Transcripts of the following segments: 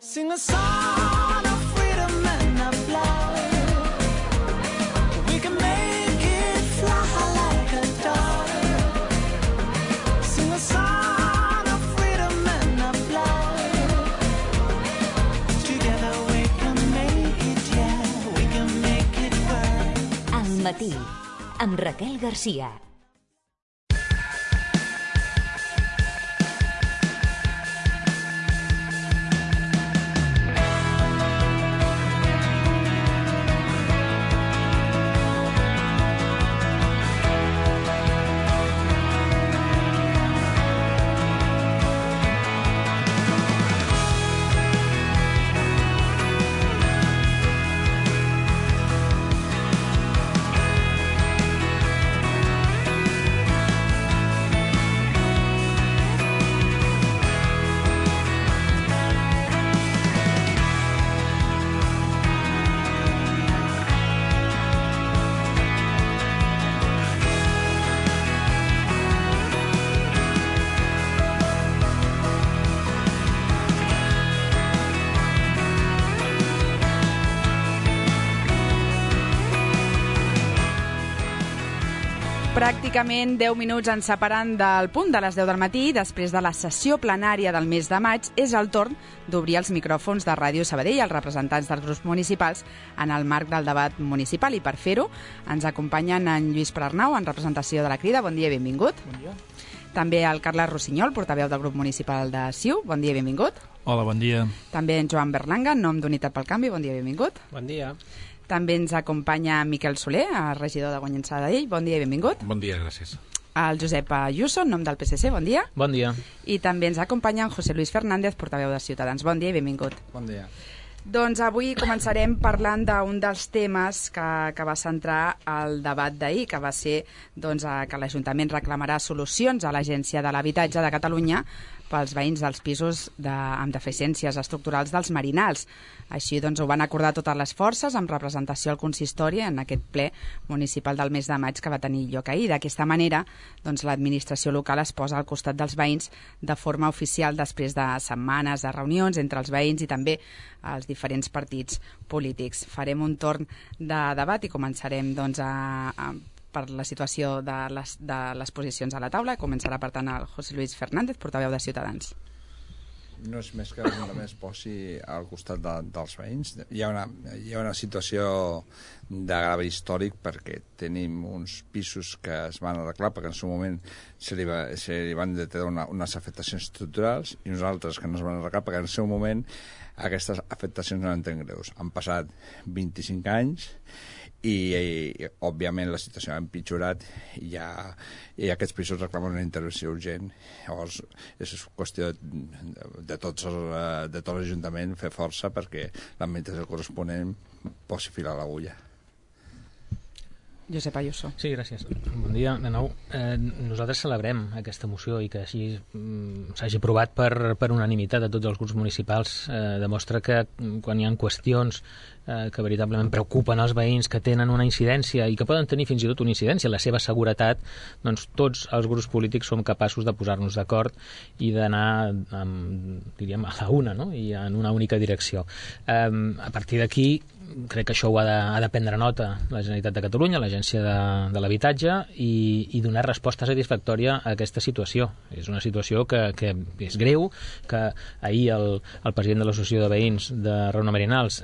Sing a song of freedom and of love. We can make it fly like a dove. Sing a song of freedom and of love. Together we can make it, yeah, we can make it work. Al matí, amb Raquel Garcia. Pràcticament 10 minuts ens separen del punt de les 10 del matí. Després de la sessió plenària del mes de maig, és el torn d'obrir els micròfons de Ràdio Sabadell als representants dels grups municipals en el marc del debat municipal. I per fer-ho ens acompanyen en Lluís Prarnau, en representació de la Crida. Bon dia i benvingut. Bon dia. També el Carles Rossinyol, portaveu del grup municipal de CiU. Bon dia i benvingut. Hola, bon dia. També en Joan Berlanga, en nom d'Unitat pel Canvi. Bon dia i benvingut. Bon dia. També ens acompanya Miquel Soler, regidor de Guanyent Sabadell. Bon dia i benvingut. Bon dia, gràcies. El Josep Ayuso, en nom del PSC. Bon dia. Bon dia. I també ens acompanya en José Luis Fernández, portaveu de Ciutadans. Bon dia i benvingut. Bon dia. Doncs avui començarem parlant d'un dels temes que va centrar el debat d'ahir, que va ser que l'Ajuntament reclamarà solucions a l'Agència de l'Habitatge de Catalunya pels veïns dels pisos amb deficiències estructurals dels Marinals. Així ho van acordar totes les forces amb representació al consistori en aquest ple municipal del mes de maig que va tenir lloc ahir. D'aquesta manera, l'administració local es posa al costat dels veïns de forma oficial després de setmanes de reunions entre els veïns i també els diferents partits polítics. Farem un torn de debat i començarem per la situació de les posicions a la taula. Començarà, per tant, el José Luis Fernández, portaveu de Ciutadans. No és més que només posi al costat dels veïns. Hi ha una situació de grave històric perquè tenim uns pisos que es van arreglar perquè en el seu moment se li van detectar unes afectacions estructurals i uns altres que no es van arreglar perquè en el seu moment aquestes afectacions no eren tan greus. Han passat 25 anys i òbviament la situació ha empitjorat i aquests pisos reclamen una intervenció urgent. Llavors és qüestió de tot l'Ajuntament fer força perquè l'administració corresponent posi fil a l'agulla. Josep Ayuso. Sí, gràcies. Bon dia de nou. Nosaltres celebrem aquesta moció i que així s'hagi aprovat per unanimitat de tots els grups municipals. Demostra que quan hi ha qüestions que veritablement preocupen els veïns, que tenen una incidència i que poden tenir fins i tot una incidència en la seva seguretat, doncs tots els grups polítics som capaços de posar-nos d'acord i d'anar, diríem, a la una, no? I en una única direcció. A partir d'aquí, crec que això ho ha de prendre nota la Generalitat de Catalunya, l'Agència de l'Habitatge, i donar resposta satisfactòria a aquesta situació. És una situació que és greu, que ahir el president de l'Associació de Veïns de Reunió Marinals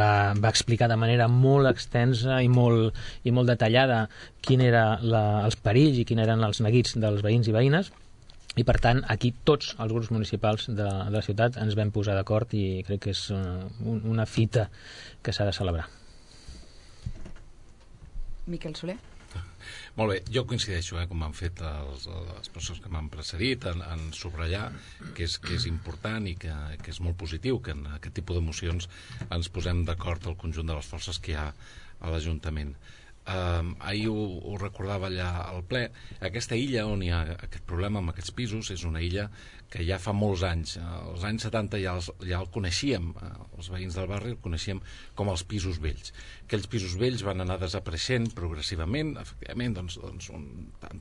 va explicar de manera molt extensa i molt detallada quin eren els perills i quins eren els neguits dels veïns i veïnes. I, per tant, aquí tots els grups municipals de la ciutat ens vam posar d'acord i crec que és una fita que s'ha de celebrar. Miquel Soler. Molt bé, jo coincideixo, com han fet les persones que m'han precedit, en subratllar que és important i que és molt positiu que en aquest tipus de mocions ens posem d'acord el conjunt de les forces que hi ha a l'Ajuntament. ahir ho recordava allà al ple, aquesta illa on hi ha aquest problema amb aquests pisos és una illa que ja fa molts anys, als anys 70 ja el coneixíem, els veïns del barri el coneixíem com els pisos vells. Aquells pisos vells van anar desapareixent progressivament, efectivament, doncs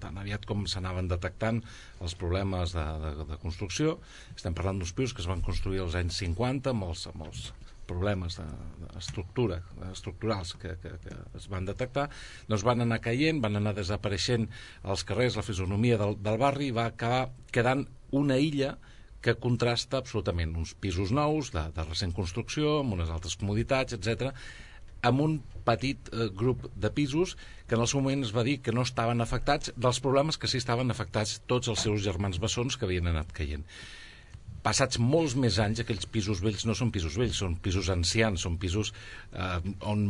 tan aviat com s'anaven detectant els problemes de construcció. Estem parlant d'uns pisos que es van construir als anys 50 amb els problemes estructurals que es van detectar, doncs van anar caient, van anar desapareixent als carrers, la fisonomia del barri, i va acabar quedant una illa que contrasta absolutament uns pisos nous, de recent construcció, amb unes altres comoditats, etc., amb un petit grup de pisos que en el seu moment es va dir que no estaven afectats dels problemes que sí estaven afectats tots els seus germans bessons que havien anat caient. Passats molts més anys, aquells pisos vells no són pisos vells, són pisos ancians, són pisos on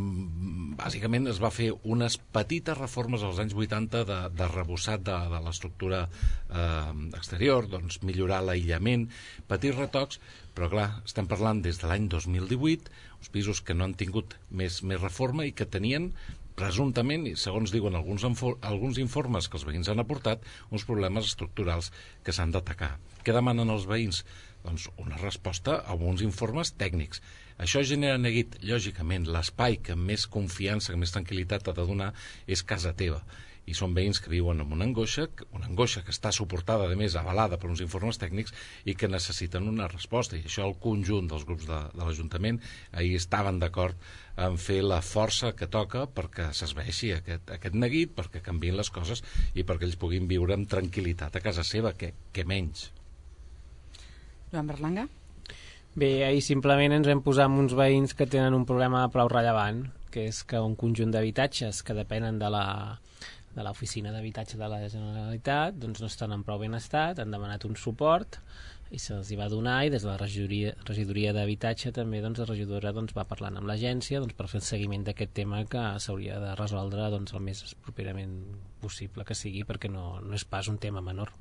bàsicament es va fer unes petites reformes als anys 80 de rebossat de l'estructura exterior, doncs millorar l'aïllament, petits retocs, però clar, estem parlant des de l'any 2018, uns pisos que no han tingut més reforma i que tenien presumptament, i segons diuen alguns informes que els veïns han aportat, uns problemes estructurals que s'han d'atacar. Què demanen els veïns? Doncs una resposta a uns informes tècnics. Això genera neguit, lògicament, l'espai que més confiança, que més tranquil·litat ha de donar és casa teva. I són veïns que viuen amb una angoixa que està suportada, a més, avalada per uns informes tècnics i que necessiten una resposta. I això el conjunt dels grups de l'Ajuntament ahir estaven d'acord en fer la força que toca perquè s'esveixi aquest neguit, perquè canviïn les coses i perquè ells puguin viure amb tranquil·litat a casa seva, que menys. Joan Berlanga? Bé, ahir simplement ens vam posar amb uns veïns que tenen un problema prou rellevant, que és que un conjunt d'habitatges que depenen de l'oficina d'habitatge de la Generalitat doncs no estan en prou ben estat, han demanat un suport i se'ls hi va donar, i des de la regidoria d'habitatge també la regidora va parlant amb l'agència per fer el seguiment d'aquest tema que s'hauria de resoldre el més properament possible que sigui, perquè no és pas un tema menor.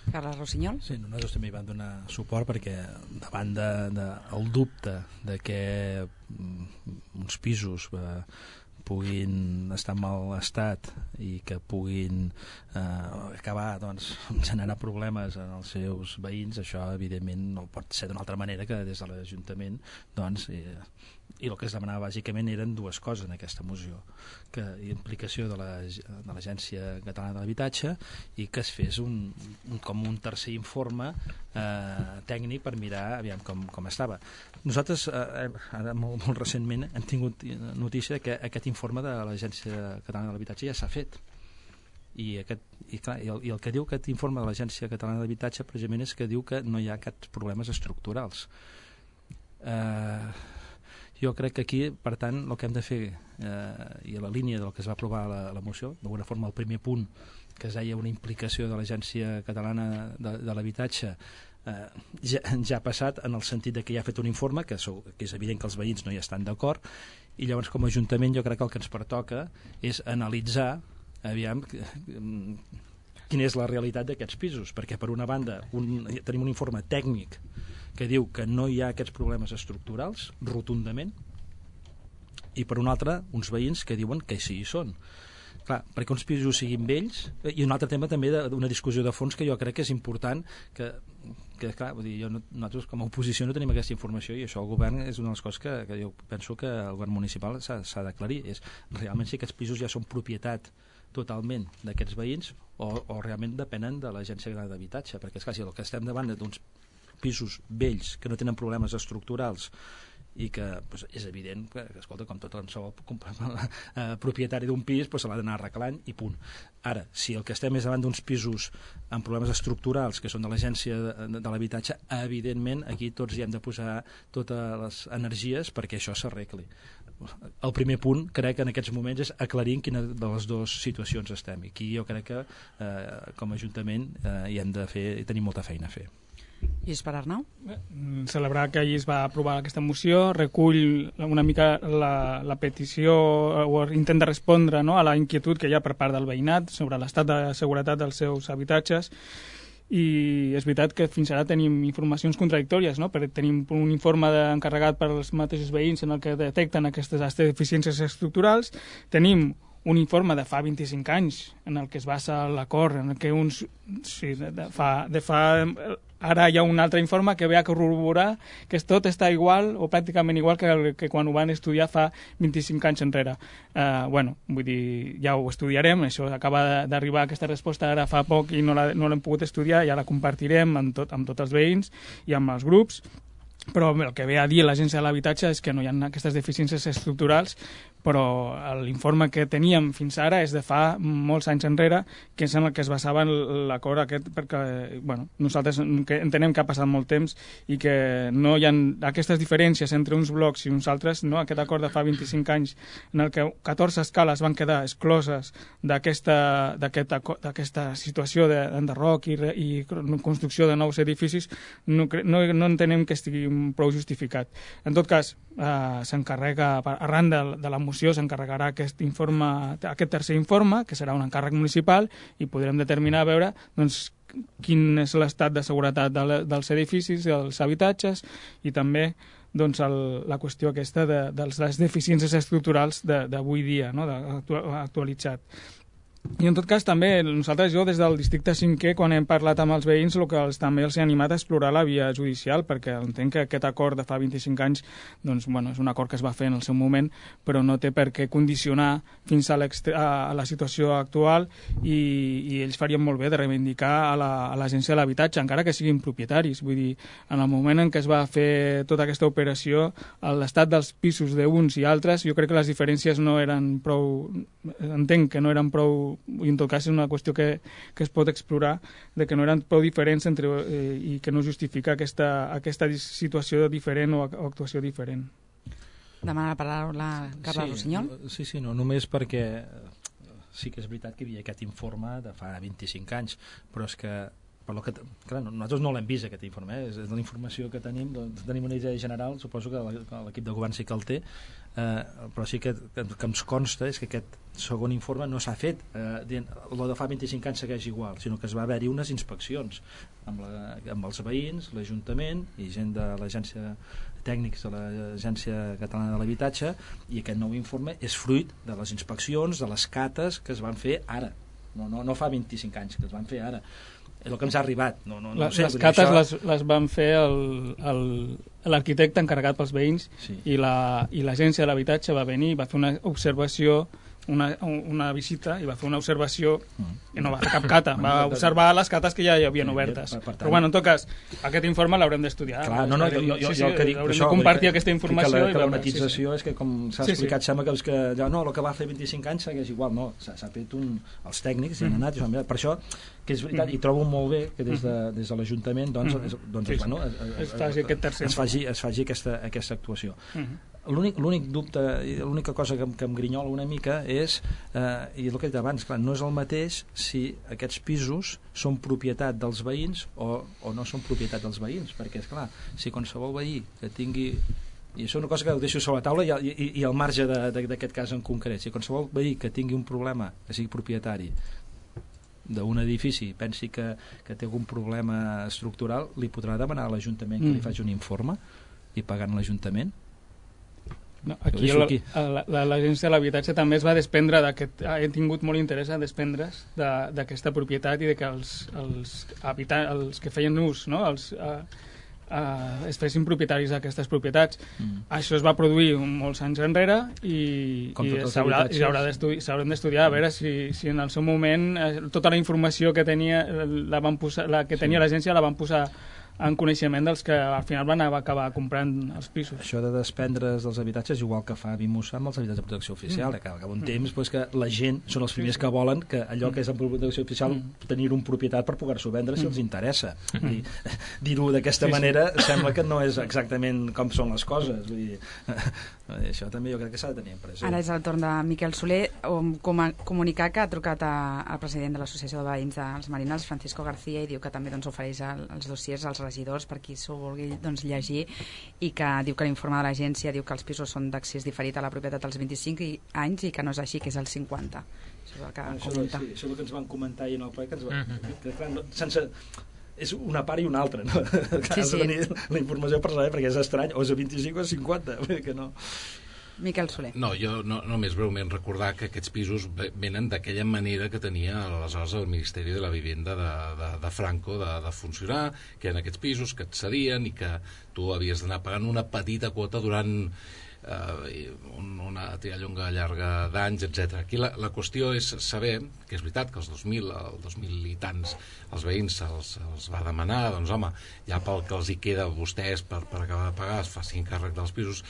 Carles Rossinyol? Sí, nosaltres també hi vam donar suport perquè davant del dubte de que uns pisos puguin estar en mal estat i que puguin acabar generar problemes en els seus veïns, això evidentment no pot ser d'una altra manera que des de l'Ajuntament i el que es demanava bàsicament eren dues coses en aquesta moció, que implicació de l'Agència Catalana de l'Habitatge i que es fes com un tercer informe tècnic per mirar aviam com estava. Nosaltres ara molt recentment hem tingut notícia que aquest informe de l'Agència Catalana de l'Habitatge ja s'ha fet i el que diu aquest informe de l'Agència Catalana de l'Habitatge precisament és que diu que no hi ha cap problemes estructurals. Jo crec que aquí, per tant, el que hem de fer i a la línia del que es va aprovar la moció, d'alguna forma el primer punt que es deia una implicació de l'Agència Catalana de l'Habitatge ja ha passat en el sentit de que ja ha fet un informe que és evident que els veïns no hi estan d'acord i llavors com a Ajuntament jo crec que el que ens pertoca és analitzar aviam quina és la realitat d'aquests pisos, perquè per una banda tenim un informe tècnic que diu que no hi ha aquests problemes estructurals rotundament i per una altra uns veïns que diuen que sí hi són. Clar, perquè uns pisos siguin vells i un altre tema també d'una discussió de fons que jo crec que és important que clar, vull dir, nosaltres com a oposició no tenim aquesta informació i això el govern és una de les coses que jo penso que el govern municipal s'ha d'aclarir, és realment si aquests pisos ja són propietat totalment d'aquests veïns o realment depenen de l'Agència Catalana d'Habitatge, perquè és clar, si el que estem davant d'uns pisos vells que no tenen problemes estructurals i que és evident que escolta, com tot propietari d'un pis se l'ha d'anar arreglant i punt. Ara, si el que estem és davant d'uns pisos amb problemes estructurals que són de l'Agència de l'Habitatge, evidentment aquí tots hi hem de posar totes les energies perquè això s'arregli. El primer punt crec que en aquests moments és aclarir en quina de les dues situacions estem i aquí jo crec que com a Ajuntament hi hem de fer i tenim molta feina a fer. Lluís per Arnau? Celebrar que ahir es va aprovar aquesta moció recull una mica la petició o intenta respondre a la inquietud que hi ha per part del veïnat sobre l'estat de seguretat dels seus habitatges i és veritat que fins ara tenim informacions contradictòries, perquè tenim un informe encarregat per als mateixos veïns en el que detecten aquestes deficiències estructurals, tenim un informe de fa 25 anys en el que es basa l'acord, en el que uns... Sí, ara hi ha un altre informe que ve a corroborar que tot està igual o pràcticament igual que quan ho van estudiar fa 25 anys enrere. Vull dir, ja ho estudiarem, això acaba d'arribar aquesta resposta ara fa poc i no l'hem pogut estudiar, ja la compartirem amb tots els veïns i amb els grups, però el que ve a dir l'Agència de l'Habitatge és que no hi ha aquestes deficiències estructurals, però l'informe que teníem fins ara és de fa molts anys enrere, que és en el que es basava l'acord aquest, perquè nosaltres entenem que ha passat molt temps i que no hi ha aquestes diferències entre uns blocs i uns altres, no? Aquest acord de fa 25 anys en el que 14 escales van quedar excloses d'aquesta situació d'enderroc i construcció de nous edificis, no entenem que estigui prou justificat. En tot cas, s'encarrega, arran de la moció, s'encarregarà aquest tercer informe, que serà un encàrrec municipal, i podrem determinar, a veure, doncs, quin és l'estat de seguretat dels edificis, dels habitatges, i també doncs, la qüestió aquesta de les deficiències estructurals d'avui dia, no? Actualitzat. I en tot cas també nosaltres, jo des del districte 5è, quan hem parlat amb els veïns, el que també els he animat a explorar la via judicial, perquè entenc que aquest acord de fa 25 anys doncs, és un acord que es va fer en el seu moment, però no té per què condicionar fins a la situació actual, i ells farien molt bé de reivindicar a l'Agència de l'Habitatge, encara que siguin propietaris. Vull dir, en el moment en què es va fer tota aquesta operació, l'estat dels pisos d'uns i altres, jo crec que les diferències no eren prou... Entenc que no eren prou, i en tot cas és una qüestió que es pot explorar, de que no eren prou diferents i que no justifica aquesta situació diferent o actuació diferent. Demana la paraula Carles Rossinyol. Sí, no, només perquè sí que és veritat que hi havia aquest informe de fa 25 anys, però és que clar, nosaltres no l'hem vist aquest informe, és de la informació que tenim, doncs tenim una idea general, suposo que l'equip de govern sí que el té, però sí que ens consta és que aquest segon informe no s'ha fet el de fa 25 anys segueix igual, sinó que es va haver-hi unes inspeccions amb els veïns, l'Ajuntament i gent de l'agència tècnics de l'Agència Catalana de l'Habitatge, i aquest nou informe és fruit de les inspeccions, de les cates que es van fer ara, no fa 25 anys, que es van fer ara. És el que ens ha arribat. Les cates les van fer l'arquitecte encarregat pels veïns, sí. I l'Agència de l'Habitatge va venir, va fer una observació, una visita, i va fer una observació i no va fer cap cata, va observar les cates que ja hi havien obertes. Però en tot cas, aquest informe l'haurem d'estudiar. Clar, haurem de compartir aquesta informació. La monetització és que, com s'ha explicat, sembla que el que va fer 25 anys segueix igual. No, s'ha fet els tècnics i han anat, per això que és veritat, i trobo molt bé que des de l'Ajuntament es faci aquesta actuació. L'únic dubte, l'única cosa que em grinyola una mica és, i el que he dit abans, clar, no és el mateix si aquests pisos són propietat dels veïns o no són propietat dels veïns, perquè, esclar, si qualsevol veí que tingui, i això és una cosa que ho deixo sobre la taula i al marge d'aquest cas en concret, si qualsevol veí que tingui un problema, que sigui propietari d'un edifici, pensi que té algun problema estructural, li podrà demanar a l'Ajuntament que li faci un informe i pagant l'Ajuntament? No, aquí l'Agència de l'Habitatge també es va desprendre ha tingut molt interès a desprendre's d'aquesta propietat i de que els que feien ús, no? Es fessin propietaris d'aquestes propietats. Això es va produir molts anys enrere i s'haurem d'estudiar a veure si en el seu moment tota la informació que tenia l'agència la van posar en coneixement dels que al final van acabar comprant els pisos. Això de desprendre's dels habitatges igual que fa Vimusa amb els habitatges de protecció oficial, que al cap d'un temps que la gent són els primers que volen que allò que és en protecció oficial tenir un propietat per poder-s'ho vendre si els interessa. Dir-ho d'aquesta manera sembla que no és exactament com són les coses. Vull dir, això també jo crec que s'ha de tenir en present. Ara és el torn de Miquel Soler comunicar que ha trucat al president de l'Associació de Veïns dels Marinals, Francisco García, i diu que també ofereix els dossiers als regidors per qui s'ho vulgui llegir, i que diu que l'informe de l'agència diu que els pisos són d'accés diferit a la propietat als 25 anys i que no és així, que és el 50. Això és el que comenta. Sí, això és el que ens van comentar ahir en el ple, és una part i una altra, no? Has de tenir la informació per saber, perquè és estrany, o és a 25 o a 50, que no... Miquel Soler. No, jo només breument recordar que aquests pisos venen d'aquella manera que tenia aleshores el Ministeri de la Vivenda de Franco de funcionar, que eren aquests pisos que et cedien i que tu havies d'anar pagant una petita quota durant una tirallonga llarga d'anys, etc. Aquí la qüestió és saber que és veritat que el 2000 i tants els veïns se'ls va demanar, doncs home, ja pel que els hi queda a vostès per acabar de pagar es facin càrrec dels pisos,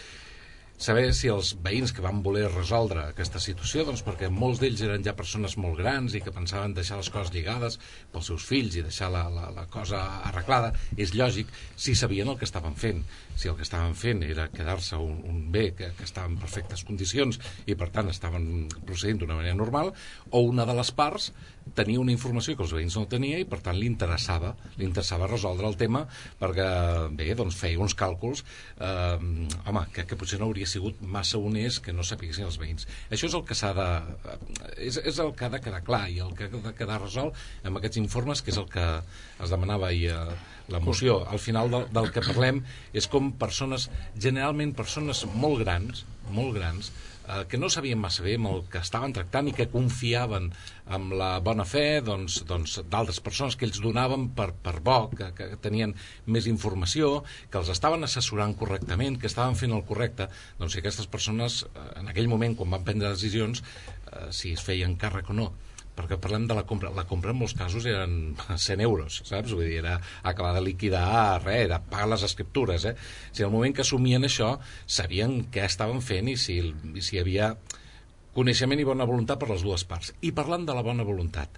saber si els veïns que van voler resoldre aquesta situació, doncs perquè molts d'ells eren ja persones molt grans i que pensaven deixar les coses lligades pels seus fills i deixar la cosa arreglada, és lògic si sabien el que estaven fent. Si el que estaven fent era quedar-se un bé que estava en perfectes condicions i per tant estaven procedint d'una manera normal, o una de les parts tenia una informació que els veïns no tenia i per tant li interessava resoldre el tema perquè, bé, doncs feia uns càlculs que potser no hauria sigut massa honest que no sapiguessin els veïns. Això és el que és el que ha de quedar clar i el que ha de quedar resolt amb aquests informes, que és el que es demanava ahir a la moció. Al final del que parlem és com generalment persones molt grans, que no sabien massa bé amb el que estaven tractant i que confiaven amb la bona fe d'altres persones que ells donaven per bo, que tenien més informació, que els estaven assessorant correctament, que estaven fent el correcte. Doncs si aquestes persones en aquell moment, quan van prendre decisions, si es feien càrrec o no, perquè parlem de la compra en molts casos eren 100 euros, saps? Vull dir, era acabar de liquidar res, era pagar les escriptures, Si al moment que assumien això sabien què estaven fent i si hi havia coneixement i bona voluntat per les dues parts. I parlant de la bona voluntat,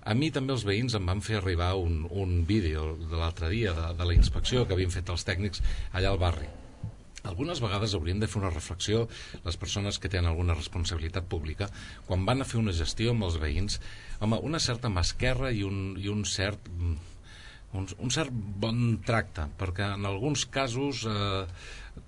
a mi també els veïns em van fer arribar un vídeo de l'altre dia de la inspecció que havien fet els tècnics allà al barri. Algunes vegades haurien de fer una reflexió les persones que tenen alguna responsabilitat pública quan van a fer una gestió amb els veïns, home, una certa mà esquerra i un cert bon tracte, perquè en alguns casos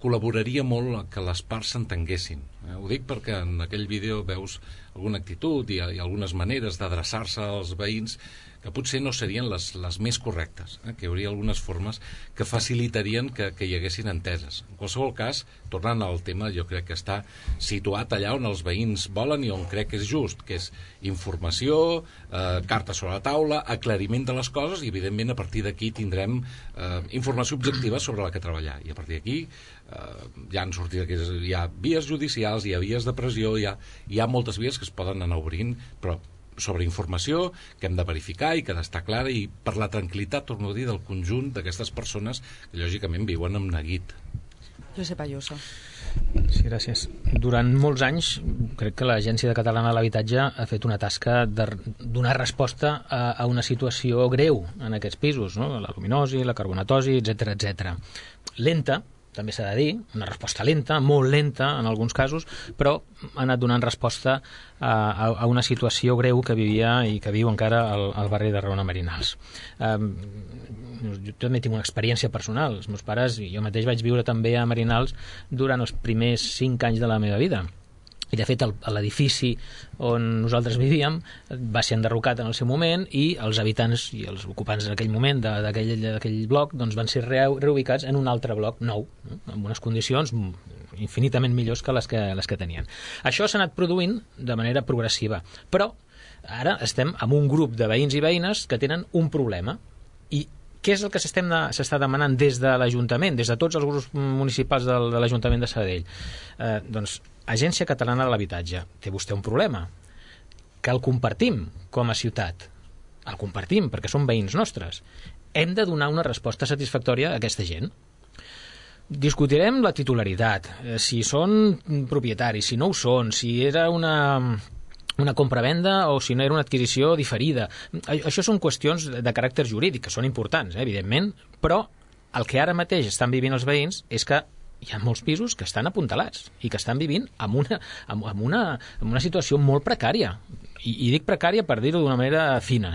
col·laboraria molt que les parts s'entenguessin. Ho dic perquè en aquell vídeo veus alguna actitud i algunes maneres d'adreçar-se als veïns que potser no serien les més correctes, que hi hauria algunes formes que facilitarien que hi haguessin enteses. En qualsevol cas, tornant al tema, jo crec que està situat allà on els veïns volen i on crec que és just, que és informació, carta sobre la taula, aclariment de les coses i, evidentment, a partir d'aquí tindrem informació objectiva sobre la que treballar. I a partir d'aquí ja han sortit hi ha vies judicials, hi ha vies de pressió, hi ha moltes vies que es poden anar obrint, però sobre informació que hem de verificar i que ha d'estar clara i per la tranquil·litat, torno a dir, del conjunt d'aquestes persones que lògicament viuen amb neguit. Josep Ayuso. Sí, gràcies. Durant molts anys crec que l'Agència Catalana de l'Habitatge ha fet una tasca de donar resposta a una situació greu en aquests pisos, no? La luminosi, la carbonatosi, etc. Lenta, també s'ha de dir, una resposta lenta, molt lenta en alguns casos, però ha anat donant resposta a una situació greu que vivia i que viu encara al barri de Raona Merinals. Jo també tinc una experiència personal. Els meus pares i jo mateix vaig viure també a Merinals durant els primers 5 anys de la meva vida. I, de fet, l'edifici on nosaltres vivíem va ser enderrocat en el seu moment i els habitants i els ocupants en aquell moment d'aquell bloc doncs, van ser reubicats en un altre bloc nou, no? Amb unes condicions infinitament millors que les que tenien. Això s'ha anat produint de manera progressiva, però ara estem amb un grup de veïns i veïnes que tenen un problema. I què és el que s'està demanant des de l'Ajuntament, des de tots els grups municipals de l'Ajuntament de Sabadell? Doncs Agència Catalana de l'Habitatge, té vostè un problema, que el compartim com a ciutat. El compartim perquè són veïns nostres. Hem de donar una resposta satisfactòria a aquesta gent. Discutirem la titularitat, si són propietaris, si no ho són, si era una compra-venda o si no era una adquisició diferida. Això són qüestions de caràcter jurídic, que són importants, evidentment, però el que ara mateix estan vivint els veïns és que hi ha molts pisos que estan apuntalats i que estan vivint en una situació molt precària. I dic precària per dir-ho d'una manera fina.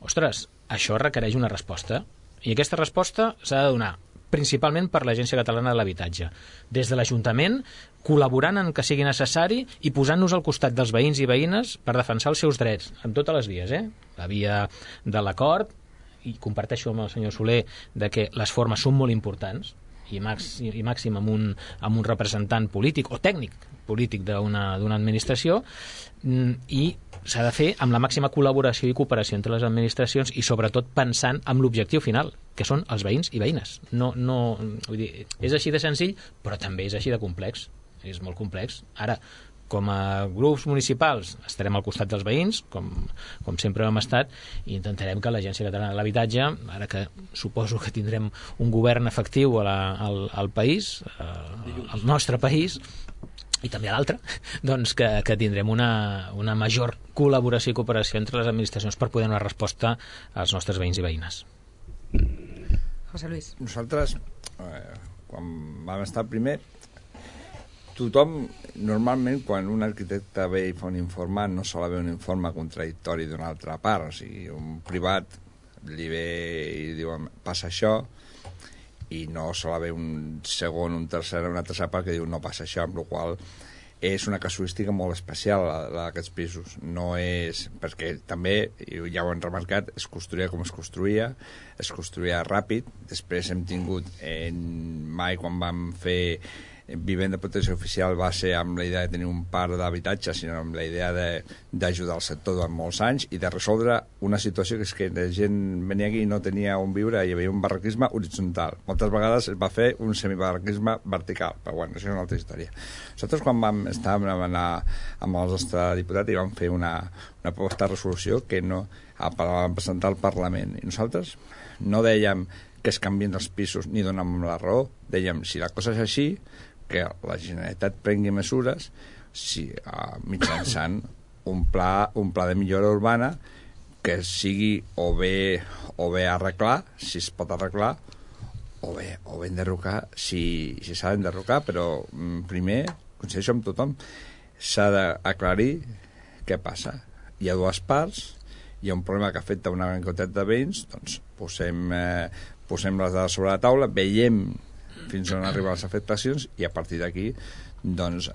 Ostres, això requereix una resposta. I aquesta resposta s'ha de donar principalment per l'Agència Catalana de l'Habitatge. Des de l'Ajuntament, col·laborant en que sigui necessari i posant-nos al costat dels veïns i veïnes per defensar els seus drets, amb totes les vies. La via de l'acord, i comparteixo amb el senyor Soler de que les formes són molt importants, i màxim amb un representant polític o tècnic polític d'una administració, i s'ha de fer amb la màxima col·laboració i cooperació entre les administracions i sobretot pensant en l'objectiu final, que són els veïns i veïnes. Vull dir, és així de senzill, però també és així de complex. És molt complex. Ara, com a grups municipals estarem al costat dels veïns, com sempre hem estat, i intentarem que l'Agència Catalana de l'Habitatge, ara que suposo que tindrem un govern efectiu al país, al nostre país, i també a l'altre, doncs que tindrem una major col·laboració i cooperació entre les administracions per poder donar resposta als nostres veïns i veïnes. José Luis. Nosaltres, quan vam estar primer, tothom, normalment, quan un arquitecte ve i fa un informe, no sol haver un informe contradictori d'una altra part. O sigui, un privat li ve i diu, passa això, i no sol haver un segon, una tercera part que diu no passa això, amb la qual és una casuística molt especial d'aquests pisos. No és... perquè també, ja ho hem remarcat, es construïa com es construïa ràpid. Després hem tingut, mai quan vam fer vivenda de protecció oficial va ser amb la idea de tenir un parc d'habitatge, sinó amb la idea d'ajudar el sector durant molts anys i de resoldre una situació que és que la gent venia aquí i no tenia on viure, hi havia un barraquisme horitzontal. Moltes vegades es va fer un semibarraquisme vertical, però bueno, això és una altra història. Nosaltres quan estàvem amb el nostre diputat i vam fer una proposta de resolució que no vam presentar al Parlament, i nosaltres no dèiem que es canvien els pisos ni donàvem la raó, dèiem si la cosa és així, que la Generalitat prengui mesures mitjançant un pla de millora urbana que sigui o bé arreglar, si es pot arreglar, o bé enderrocar, si s'ha d'enderrocar, però primer, coincideixo amb tothom, s'ha d'aclarir què passa. Hi ha dues parts, hi ha un problema que afecta una gran quantitat de veïns, doncs posem les dades sobre la taula, veiem fins on arriben les afectacions i a partir d'aquí doncs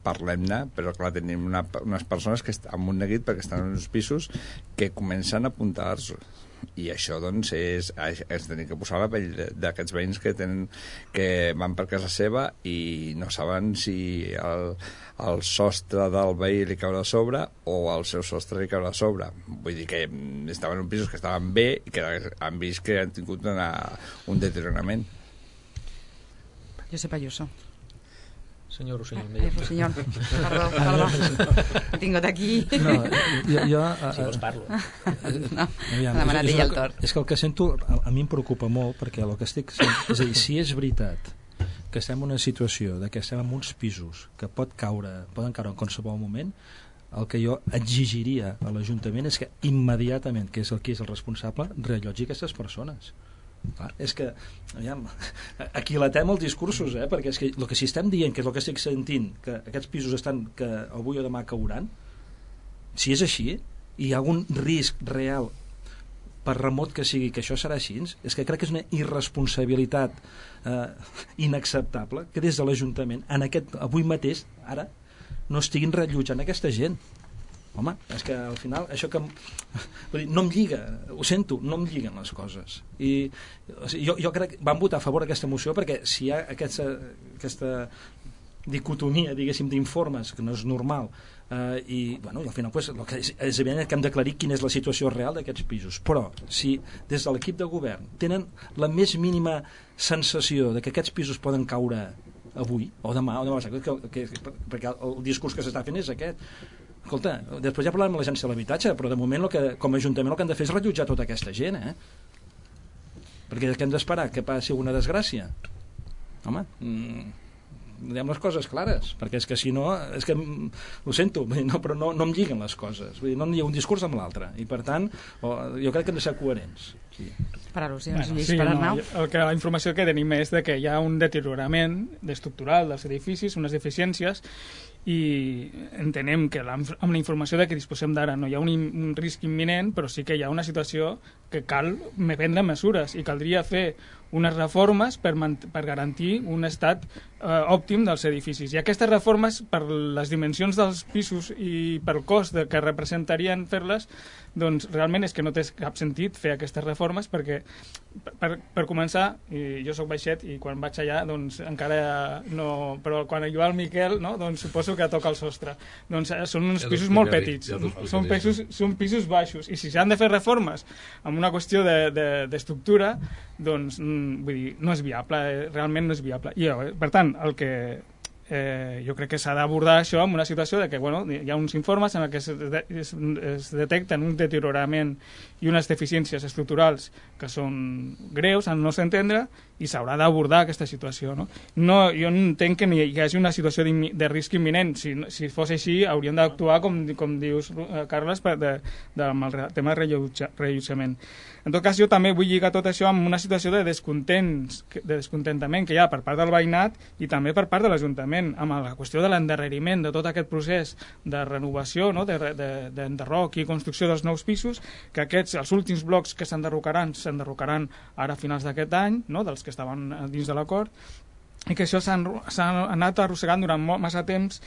parlem-ne, però clar, tenim unes persones que amb un neguit perquè estan en uns pisos que comencen a apuntar-se i això doncs és tenir que posar la pell d'aquests veïns que van per casa seva i no saben si el sostre del veí li caurà a sobre o el seu sostre li caurà a sobre. Vull dir que estaven en pisos que estaven bé i que han vist que han tingut un deteriorament. Josep Ayuso. Senyor Rossinyol. Rossinyol, perdó. He tingut aquí. No, jo si vols parlo. No, m'ha demanat ell el torn. És que el que sento a mi em preocupa molt perquè el que estic sent, és a dir, si és veritat que estem en una situació que estem en uns pisos que poden caure en qualsevol moment, el que jo exigiria a l'Ajuntament és que immediatament, que és el responsable, reallotgi aquestes persones. Clar, és que aquilatem els discursos, perquè és que el que si estem dient, que és el que estic sentint, que aquests pisos estan que avui o demà cauran, si és així i hi ha algun risc real per remot que sigui que això serà així, és que crec que és una irresponsabilitat inacceptable que des de l'Ajuntament avui mateix, ara, no estiguin reallotjant aquesta gent. Home, és que al final això que no em lliga, ho sento, no em lliguen les coses i jo crec que vam votar a favor d'aquesta moció perquè si hi ha aquesta dicotomia, diguéssim, d'informes que no és normal i bueno, al final pues, el que és evident que hem d'aclarir quina és la situació real d'aquests pisos, però si des de l'equip de govern tenen la més mínima sensació de que aquests pisos poden caure avui o demà perquè el discurs que s'està fent és aquest. Escolta, després ja parlarem amb l'Agència de l'Habitatge, però de moment com a Ajuntament el que hem de fer és reallotjar tota aquesta gent, perquè què hem d'esperar? Que passi alguna desgràcia? Home, diguem les coses clares, perquè és que si no, és que ho sento, però no em lliguen les coses, vull dir, no hi ha un discurs amb l'altre, i per tant jo crec que hem de ser coherents. Sí. Per al·lusions, per Arnau. La informació que tenim és de que hi ha un deteriorament estructural dels edificis, unes deficiències, i entenem que amb la informació de què disposem d'ara no hi ha un risc imminent, però sí que hi ha una situació que cal prendre mesures i caldria fer unes reformes per garantir un estat òptim dels edificis. I aquestes reformes, per les dimensions dels pisos i pel cost que representarien fer-les, doncs realment és que no té cap sentit fer aquestes reformes perquè, per començar, jo soc baixet i quan vaig allà doncs encara no... Però quan hi va el Miquel, no? Doncs suposo que toca el sostre. Doncs són uns pisos molt petits, són pisos baixos, i si s'han de fer reformes amb una qüestió d'estructura, doncs vull dir, no és viable, realment no és viable. I per tant, el que jo crec que s'ha d'abordar això en una situació de que hi ha uns informes en què es detecten un deteriorament i unes deficiències estructurals que són greus, al nostre entendre, i s'haurà d'abordar aquesta situació. Jo entenc que hi hagi una situació de risc imminent. Si fos així, hauríem d'actuar, com dius, Carles, amb el tema de reallotjament. En tot cas, jo també vull lligar tot això amb una situació de descontentament que hi ha per part del veïnat i també per part de l'Ajuntament, amb la qüestió de l'endarreriment de tot aquest procés de renovació, d'enderroc i construcció dels nous pisos, que els últims blocs que s'enderrocaran ara a finals d'aquest any, dels que estaven dins de l'acord, i que això s'ha anat arrossegant durant massa temps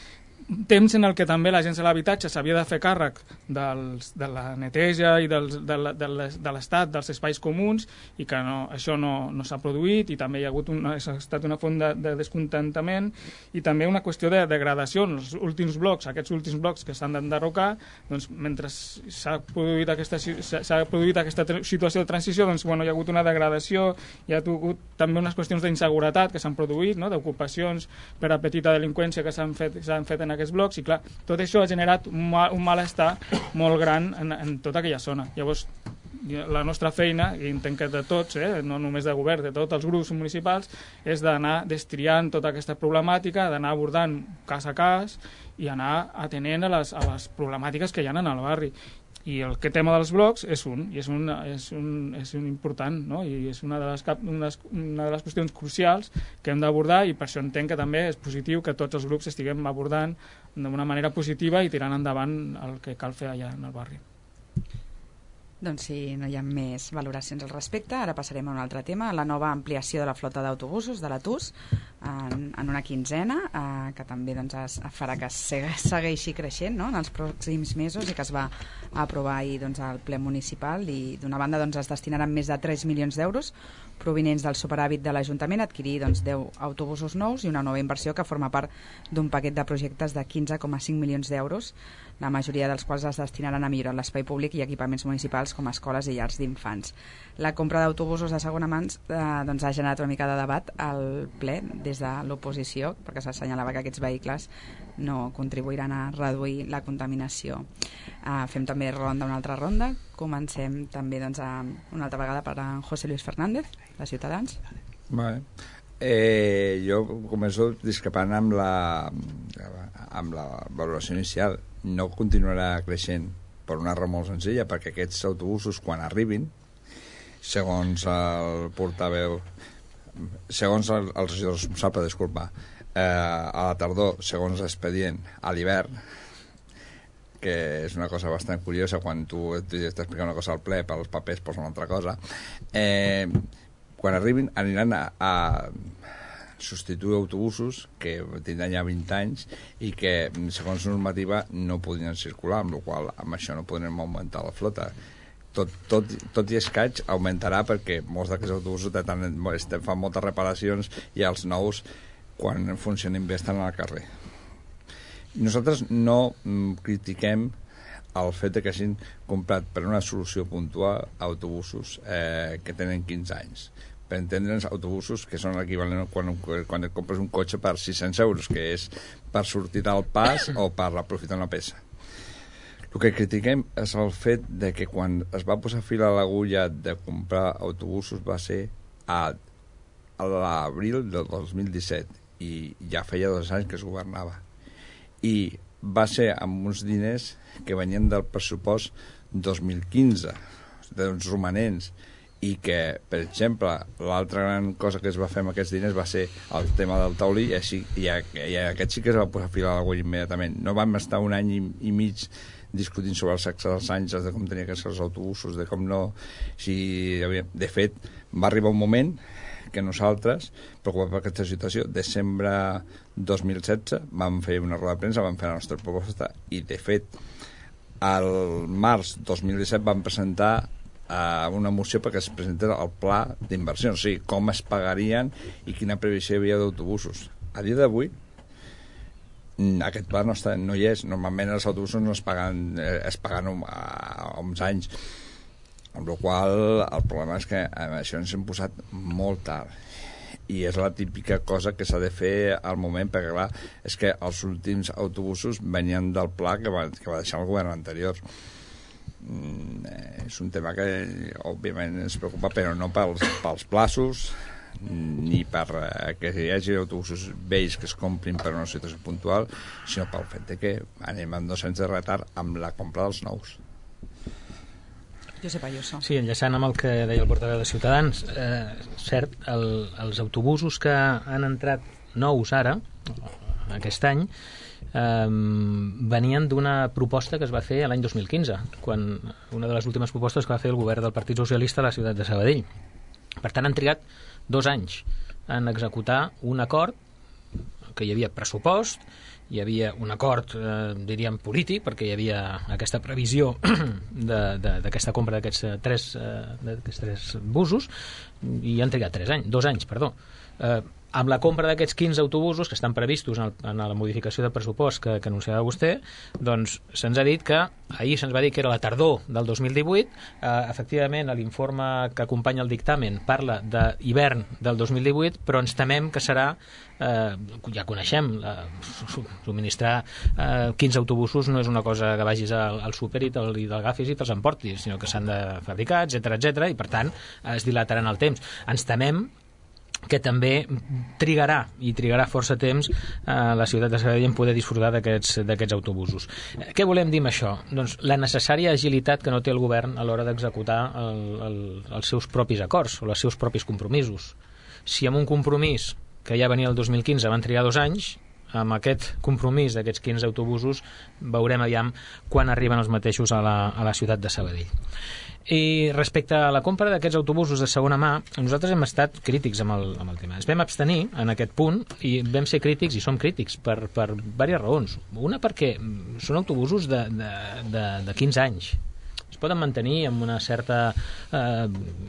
en el que també l'Agència de l'Habitatge s'havia de fer càrrec de la neteja i de l'estat dels espais comuns, i que això no s'ha produït, i també ha estat una font de descontentament i també una qüestió de degradació. Els últims blocs, aquests últims blocs que s'han d'enderrocar, doncs mentre s'ha produït aquesta situació de transició, doncs hi ha hagut una degradació, hi ha hagut també unes qüestions d'inseguretat que s'han produït, d'ocupacions per a petita delinqüència que s'han fet en aquests blocs, i clar, tot això ha generat un malestar molt gran en tota aquella zona. Llavors, la nostra feina, i entenc que de tots, no només de govern, de tots els grups municipals, és d'anar destriant tota aquesta problemàtica, d'anar abordant cas a cas i anar atenent a les problemàtiques que hi ha en el barri. I el tema dels blocs és important, i és una de les qüestions crucials que hem d'abordar, i per això entenc que també és positiu que tots els grups estiguem abordant d'una manera positiva i tirant endavant el que cal fer allà en el barri. Doncs si no hi ha més valoracions al respecte, ara passarem a un altre tema, la nova ampliació de la flota d'autobusos de la TUS en una quinzena, que també farà que segueixi creixent en els pròxims mesos, i que es va aprovar ahir al ple municipal, i d'una banda es destinaran més de 3 milions d'euros provinents del superàvit de l'Ajuntament a adquirir 10 autobusos nous i una nova inversió que forma part d'un paquet de projectes de 15,5 milions d'euros, la majoria dels quals es destinaran a millorar l'espai públic i equipaments municipals com escoles i llars d'infants. La compra d'autobusos de segona mans ha generat una mica de debat al ple des de l'oposició, perquè s'assenyalava que aquests vehicles no contribuiran a reduir la contaminació. Fem també una altra ronda. Comencem també una altra vegada per a José Luis Fernández, de Ciutadans. Vale. Jo començo discrepant amb la valoració inicial. No continuarà creixent per una raó molt senzilla, perquè aquests autobusos, quan arribin, segons el portaveu, segons el regidor responsable, disculpa, a la tardor, segons l'expedient, a l'hivern, que és una cosa bastant curiosa, quan tu t'expliques una cosa al ple, pels papers posa una altra cosa, quan arribin aniran a substituir autobusos que tindran ja 20 anys i que, segons normativa, no podrien circular, amb la qual cosa amb això no podrem augmentar la flota. Tot i escaig augmentarà, perquè molts d'aquests autobusos fan moltes reparacions i els nous, quan funcionin bé, estan al carrer. Nosaltres no critiquem el fet que hagin comprat per una solució puntual autobusos que tenen 15 anys. Per entendre'ns, autobusos que són l'equivalent quan et compres un cotxe per 600 euros, que és per sortir del pas o per aprofitar una peça. El que critiquem és el fet de que quan es va posar fil a l'agulla de comprar autobusos va ser a l'abril del 2017, i ja feia 2 anys que es governava. I va ser amb uns diners que venien del pressupost 2015, d'uns romanents, i que, per exemple, l'altra gran cosa que es va fer amb aquests diners va ser el tema del taulí, i aquest sí que es va posar fil a l'agulla immediatament. No vam estar un any i mig discutint sobre el sexe dels àngels, de com tenia que ser els autobusos, de com no... De fet, va arribar un moment que nosaltres, preocupats per aquesta situació, desembre 2016 vam fer una roda de premsa, vam fer la nostra proposta, i de fet al març 2017 vam presentar una moció perquè es presentés el pla d'inversió, o sigui, com es pagarien i quina previsió hi havia d'autobusos. A dia d'avui aquest pla no hi és. Normalment els autobusos no es paguen a uns anys, amb la qual el problema és que això ens hem posat molt tard i és la típica cosa que s'ha de fer al moment, perquè clar, és que els últims autobusos venien del pla que va deixar el govern anterior. És un tema que òbviament ens preocupa, però no pels plaços ni per que hi hagi autobusos vells que es comprin per una situació puntual, sinó pel fet de que anem amb 2 anys de retard amb la compra dels nous. Josep Ayuso. Sí, enllaçant amb el que deia el portaveu de Ciutadans, cert, els autobusos que han entrat nous ara, aquest any, venien d'una proposta que es va fer l'any 2015, quan una de les últimes propostes que va fer el govern del Partit Socialista a la ciutat de Sabadell. Per tant, han trigat 2 anys en executar un acord que hi havia pressupost, hi havia un acord, diríem, polític, perquè hi havia aquesta previsió d'aquesta compra d'aquests tres busos, i han trigat 2 anys, perdó. Amb la compra d'aquests 15 autobusos que estan previstos en la modificació de pressupost que anunciava vostè, doncs se'ns ha dit que ahir se'ns va dir que era la tardor del 2018, efectivament l'informe que acompanya el dictamen parla d'hivern del 2018, però ens temem que serà, ja coneixem, subministrar 15 autobusos no és una cosa que vagis al súper i l'agafis i te'ls emportis, sinó que s'han de fabricar, etc, i per tant es dilataran el temps. Ens temem que també trigarà força temps la ciutat de Sabadell en poder disfrutar d'aquests autobusos. Què volem dir amb això? Doncs la necessària agilitat que no té el govern a l'hora d'executar els seus propis acords o els seus propis compromisos. Si amb un compromís que ja venia el 2015 van trigar 2 anys, amb aquest compromís d'aquests 15 autobusos veurem aviam quan arriben els mateixos a la ciutat de Sabadell. I respecte a la compra d'aquests autobusos de segona mà, nosaltres hem estat crítics amb el tema. Ens vam abstenir en aquest punt i vam ser crítics i som crítics per diverses raons. Una perquè són autobusos de 15 anys. Es poden mantenir amb una certa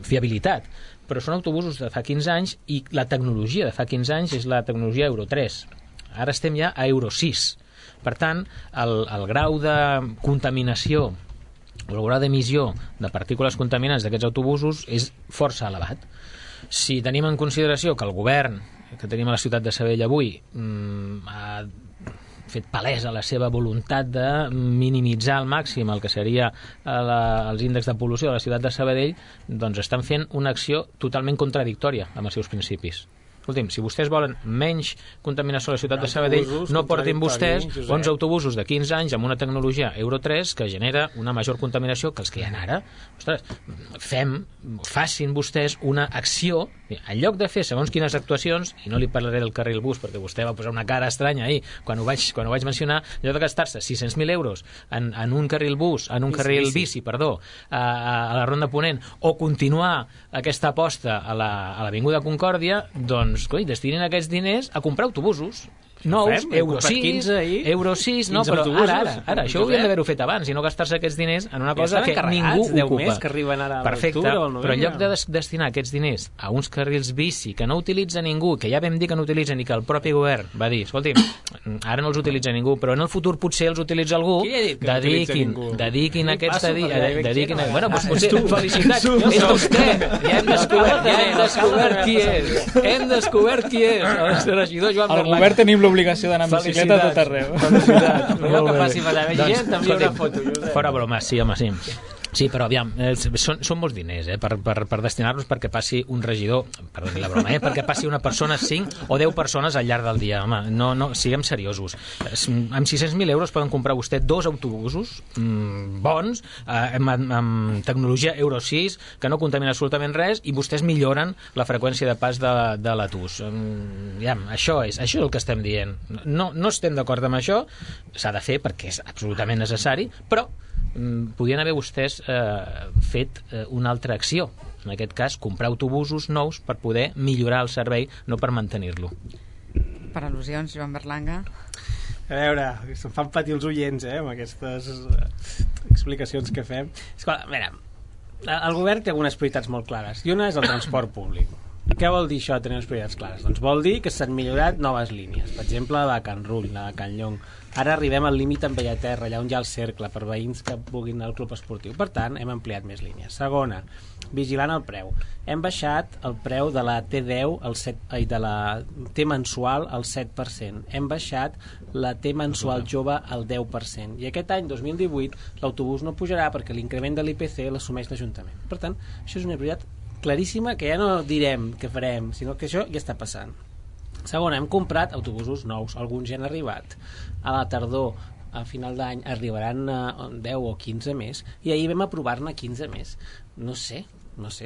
fiabilitat, però són autobusos de fa 15 anys i la tecnologia de fa 15 anys és la tecnologia Euro 3. Ara estem ja a Euro 6. Per tant, el grau de contaminació o el grau d'emissió de partícules contaminants d'aquests autobusos és força elevat. Si tenim en consideració que el govern que tenim a la ciutat de Sabadell avui ha fet palesa la seva voluntat de minimitzar al màxim el que seria els índexs de pol·lució de la ciutat de Sabadell, doncs estan fent una acció totalment contradictòria amb els seus principis. Escolti'm, si vostès volen menys contaminació a la ciutat de Sabadell, no portin vostès 11 autobusos de 15 anys amb una tecnologia Euro 3 que genera una major contaminació que els que hi ha ara. Ostres, facin vostès una acció, en lloc de fer segons quines actuacions, i no li parlaré del carril bus perquè vostè va posar una cara estranya ahir quan ho vaig mencionar, en lloc de gastar-se 600.000 euros en un carril bus, en un carril bici, a la Ronda Ponent, o continuar aquesta aposta a l'Avinguda Concòrdia, doncs destinin aquests diners a comprar autobusos nous, Euro 6, Euro 6, no, però ara, això ho haurien d'haver-ho fet abans i no gastar-se aquests diners en una cosa que ningú ocupa. Que arriben ara perfecte, però en lloc de destinar aquests diners a uns carrils bici que no utilitza ningú, que ja vam dir que no utilitzen i que el propi govern va dir, escolti, ara no els utilitza ningú, però en el futur potser els utilitza algú, dediquin aquests... Bueno, doncs potser, felicitats, és vostè, ja hem descobert qui és. Hem descobert qui és. El regidor Joan Berlac. Al govern tenim l'obligació d'anar amb bicicleta a tot arreu. Felicitats. Allò que faci passar gent, també hi haurà foto. Fora broma, sí, home, sí. Sí, però aviam, són molts diners per destinar-los perquè passi un regidor, perdoni la broma, perquè passi una persona, 5 o 10 persones al llarg del dia. Home, no, siguem seriosos. Amb 600.000 euros poden comprar vostè 2 autobusos bons, amb tecnologia Euro 6, que no contamina absolutament res, i vostès milloren la freqüència de pas de l'ATUS. Això és el que estem dient. No estem d'acord amb això, s'ha de fer perquè és absolutament necessari, però podien haver vostès fet una altra acció, en aquest cas comprar autobusos nous per poder millorar el servei, no per mantenir-lo. Per al·lusions, Joan Berlanga. A veure, se'm fan patir els oients amb aquestes explicacions que fem. Escolta, a veure, el govern té algunes prioritats molt clares i una és el transport públic. Què vol dir això de tenir unes prioritats clares? Doncs vol dir que s'han millorat noves línies, per exemple la de Can Rull, la de Can Llong. Ara arribem al límit amb Bellaterra, allà on hi ha el cercle, per veïns que vulguin anar al club esportiu. Per tant, hem ampliat més línies. Segona, vigilant el preu. Hem baixat el preu de la T10 de la T mensual al 7%. Hem baixat la T mensual jove al 10%. I aquest any, 2018, l'autobús no pujarà perquè l'increment de l'IPC l'assumeix l'Ajuntament. Per tant, això és una prioritat claríssima que ja no direm què farem, sinó que això ja està passant. Segona, hem comprat autobusos nous, alguns ja han arribat. A la tardor, a final d'any, arribaran 10 o 15 més, i ahir vam aprovar-ne 15 més. No sé,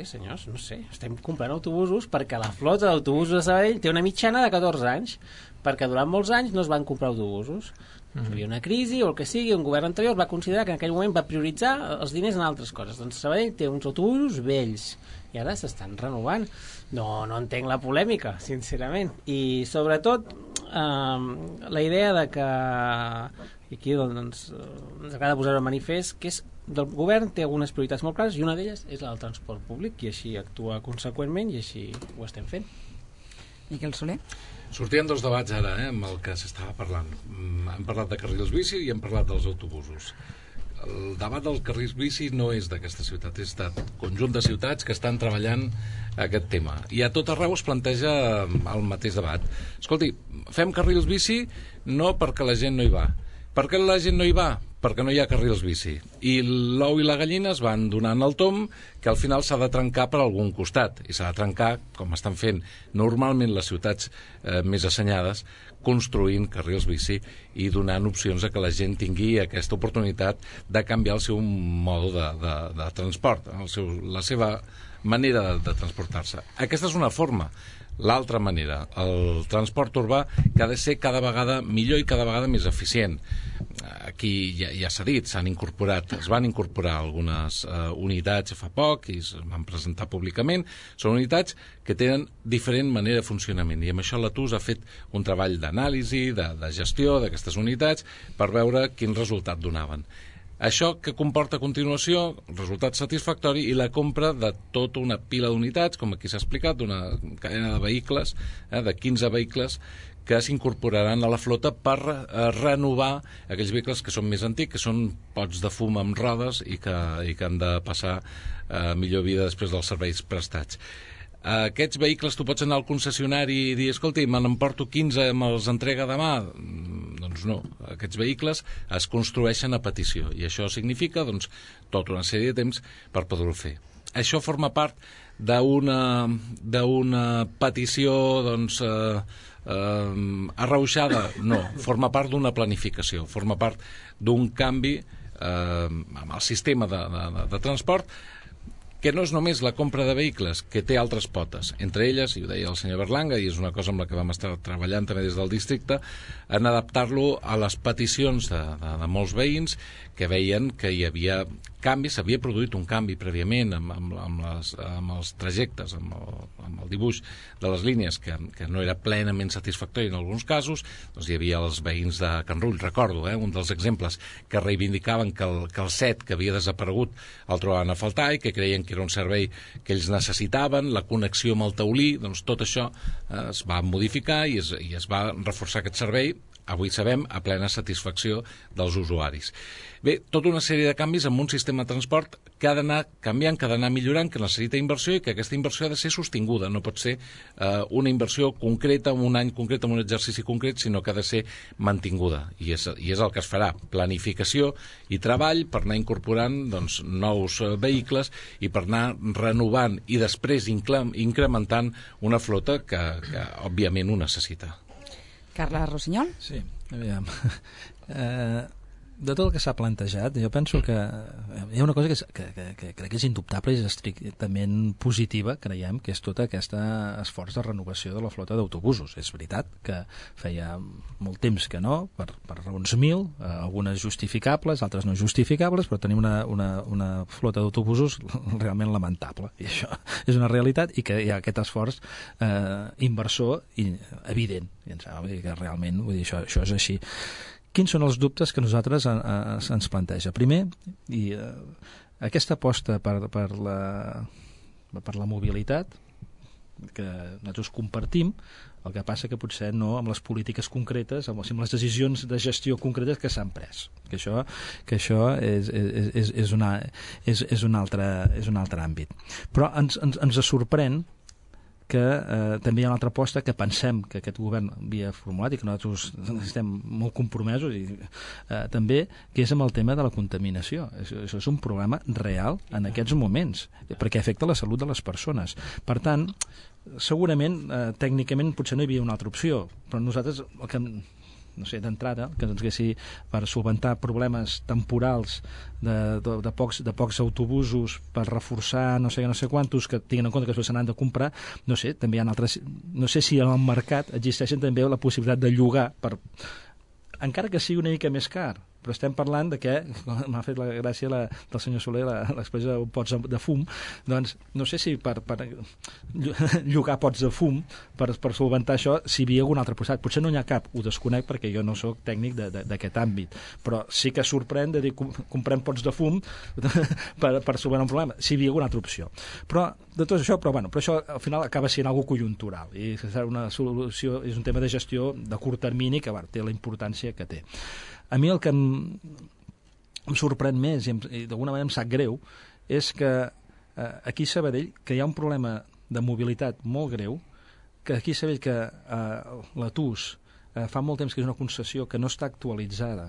senyors, no sé. Estem comprant autobusos perquè la flota d'autobusos de Sabadell té una mitjana de 14 anys, perquè durant molts anys no es van comprar autobusos. Hi havia una crisi o el que sigui, un govern anterior va considerar que en aquell moment va prioritzar els diners en altres coses. Doncs Sabadell té uns autobusos vells i ara s'estan renovant. No entenc la polèmica, sincerament. I sobretot la idea de que, i aquí doncs, ens agrada posar-ho en manifest, que és del govern té algunes prioritats molt clares i una d'elles és la del transport públic i així actua conseqüentment i així ho estem fent. Miquel Soler? Sortien dos debats ara, amb el que s'estava parlant. Hem parlat de carrils bici i hem parlat dels autobusos. El debat dels carrils bici no és d'aquesta ciutat, és de conjunt de ciutats que estan treballant aquest tema. I a tot arreu es planteja el mateix debat. Escolti, fem carrils bici no perquè la gent no hi va. Per què la gent no hi va? Perquè no hi ha carrils bici. I l'ou i la gallina es van donant el tom que al final s'ha de trencar per algun costat. I s'ha de trencar, com estan fent normalment les ciutats més assenyades, construint carrils bici i donant opcions a que la gent tingui aquesta oportunitat de canviar el seu mode de transport, la seva manera de transportar-se. Aquesta és una forma. L'altra manera, el transport urbà, que ha de ser cada vegada millor i cada vegada més eficient. Aquí ja s'ha dit, es van incorporar algunes unitats fa poc i es van presentar públicament. Són unitats que tenen diferent manera de funcionament i amb això l'ATUS ha fet un treball d'anàlisi, de gestió d'aquestes unitats per veure quin resultat donaven. Això que comporta a continuació resultat satisfactori i la compra de tota una pila d'unitats, com aquí s'ha explicat, d'una cadena de vehicles, de 15 vehicles, que s'incorporaran a la flota per renovar aquells vehicles que són més antics, que són pots de fum amb rodes i que han de passar millor vida després dels serveis prestats. Aquests vehicles tu pots anar al concessionari i dir, escolti, me n'emporto 15, me'ls entrega demà? Doncs no, aquests vehicles es construeixen a petició i això significa tota una sèrie de temps per poder-ho fer. Això forma part d'una petició arrauxada? No, forma part d'una planificació, forma part d'un canvi amb el sistema de transport que no és només la compra de vehicles, que té altres potes. Entre elles, i ho deia el senyor Berlanga, i és una cosa amb la que vam estar treballant també des del districte, en adaptar-lo a les peticions de molts veïns que veien que hi havia canvis, s'havia produït un canvi prèviament amb els trajectes, amb el dibuix de les línies, que no era plenament satisfactori en alguns casos. Doncs hi havia els veïns de Can Rull, recordo, un dels exemples, que reivindicaven que el set que havia desaparegut el trobaven a faltar i que creien que era un servei que ells necessitaven, la connexió amb el taulí, doncs tot això es va modificar i es va reforçar aquest servei avui sabem, a plena satisfacció dels usuaris. Bé, tota una sèrie de canvis amb un sistema de transport que ha d'anar canviant, que ha d'anar millorant, que necessita inversió i que aquesta inversió ha de ser sostinguda. No pot ser una inversió concreta, en un any concret, en un exercici concret, sinó que ha de ser mantinguda. I és el que es farà. Planificació i treball per anar incorporant doncs, nous vehicles i per anar renovant i després incrementant una flota que òbviament ho necessita. Carles Rossinyol? Sí, aviam. De tot el que s'ha plantejat, jo penso que hi ha una cosa que crec que és indubtable i és estrictament positiva, creiem, que és tot aquest esforç de renovació de la flota d'autobusos. És veritat que feia molt temps que no, per raons mil, algunes justificables, altres no justificables, però tenim una flota d'autobusos realment lamentable. I això és una realitat i que hi ha aquest esforç inversor evident. I em sembla que realment vull dir, això és així. Quins són els dubtes que nosaltres ens planteja? Primer, aquesta aposta per la mobilitat, que nosaltres compartim, el que passa que potser no amb les polítiques concretes, amb les decisions de gestió concretes que s'han pres. Que això és un altre àmbit. Però ens sorprèn que també hi ha una altra aposta que pensem que aquest govern havia formulat i que nosaltres estem molt compromesos i també, que és amb el tema de la contaminació. Això és un problema real en aquests moments, perquè afecta la salut de les persones. Per tant, segurament, tècnicament potser no hi havia una altra opció, però nosaltres el que no sé, d'entrada, que ens haguessi per solventar problemes temporals de pocs autobusos per reforçar no sé quantos que tinguin en compte que després se n'han de comprar, no sé, també hi ha altres, no sé si en el mercat existeixen també la possibilitat de llogar encara que sigui una mica més car, però estem parlant de que, m'ha fet la gràcia del senyor Soler l'expressió de pots de fum, doncs no sé si per llogar pots de fum per solventar això, si hi havia alguna altra possibilitat. Potser no n'hi ha cap, ho desconec perquè jo no sóc tècnic d'aquest àmbit, però sí que sorprèn de dir comprem pots de fum per solventar un problema, si hi havia alguna altra opció. Però de tot això, però això al final acaba sent algo conjuntural i una solució és un tema de gestió de curt termini que té la importància que té. A mi el que em sorprèn més i d'alguna manera em sap greu és que aquí a Sabadell que hi ha un problema de mobilitat molt greu, que aquí a Sabadell que la TUS fa molt temps que és una concessió que no està actualitzada,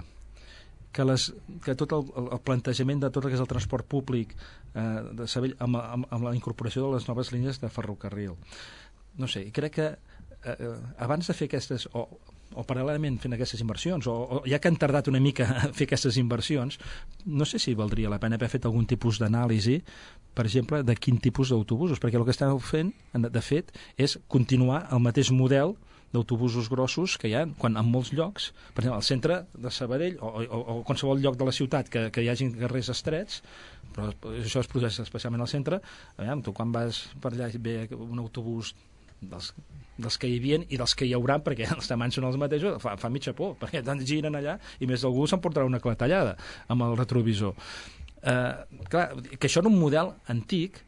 que tot el plantejament de tot el que és el transport públic de Sabadell amb la incorporació de les noves línies de ferrocarril. No sé, crec que abans de fer aquestes o paral·lelament fent aquestes inversions o ja que han tardat una mica a fer aquestes inversions, no sé si valdria la pena haver fet algun tipus d'anàlisi, per exemple, de quin tipus d'autobusos, perquè el que estan fent, de fet, és continuar el mateix model d'autobusos grossos que hi ha, quan en molts llocs, per exemple, al centre de Sabadell o qualsevol lloc de la ciutat que hi hagi carrers estrets, però això es produeix especialment al centre, tu quan vas per allà ve un autobús dels que hi havia i dels que hi haurà, perquè els tamanys són els mateixos, fa mitja por, perquè tant giren allà i més d'algú s'emportarà una clatellada amb el retrovisor. Clar, que això era un model antic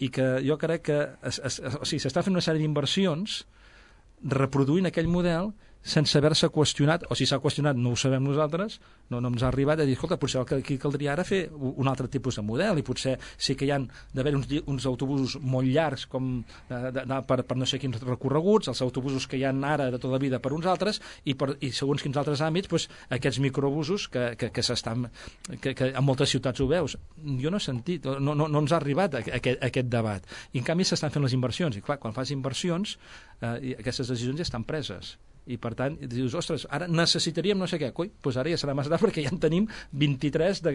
i que jo crec que s'està fent una sèrie d'inversions reproduint aquell model sense haver-se qüestionat, o si s'ha qüestionat no ho sabem nosaltres, no ens ha arribat a dir, escolta, potser aquí caldria ara fer un altre tipus de model i potser sí que hi han d'haver uns autobusos molt llargs com per no sé quins recorreguts, els autobusos que hi ha ara de tota la vida per uns altres i segons quins altres àmbits, doncs, aquests microbusos que s'estan que en moltes ciutats ho veus. Jo no he sentit, no ens ha arribat aquest debat. I en canvi s'estan fent les inversions i clar, quan fas inversions aquestes decisions ja estan preses. I per tant, dius, ostres, ara necessitaríem no sé què, doncs ara ja serà massa tard perquè ja en tenim 23 de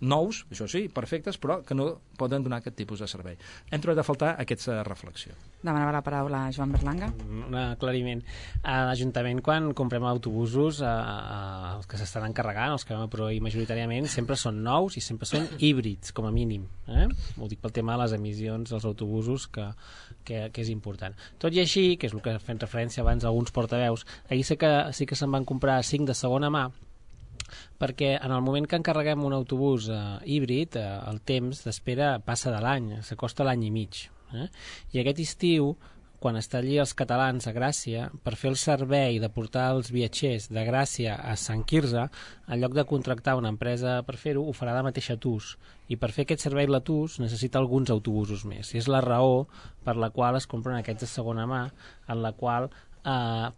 nous, això sí, perfectes, però que no poden donar aquest tipus de servei. Hem trobat a faltar aquesta reflexió. Demanava la paraula Joan Berlanga. Un aclariment. A l'Ajuntament, quan comprem autobusos, els que s'estan encarregant, els que vam aprovar majoritàriament, sempre són nous i sempre són híbrids, com a mínim. Ho dic pel tema de les emissions dels autobusos, que és important. Tot i així, que és el que fem referència abans a alguns portaveus, ahir sí que se'n van comprar 5 de segona mà, perquè en el moment que encarreguem un autobús híbrid, el temps d'espera passa de l'any, s'acosta l'any i mig. I aquest estiu, quan està allí els catalans a Gràcia, per fer el servei de portar els viatgers de Gràcia a Sant Quirze, en lloc de contractar una empresa per fer-ho, ho farà de mateixa TUS. I per fer aquest servei la TUS necessita alguns autobusos més. I és la raó per la qual es compren aquests de segona mà, en la qual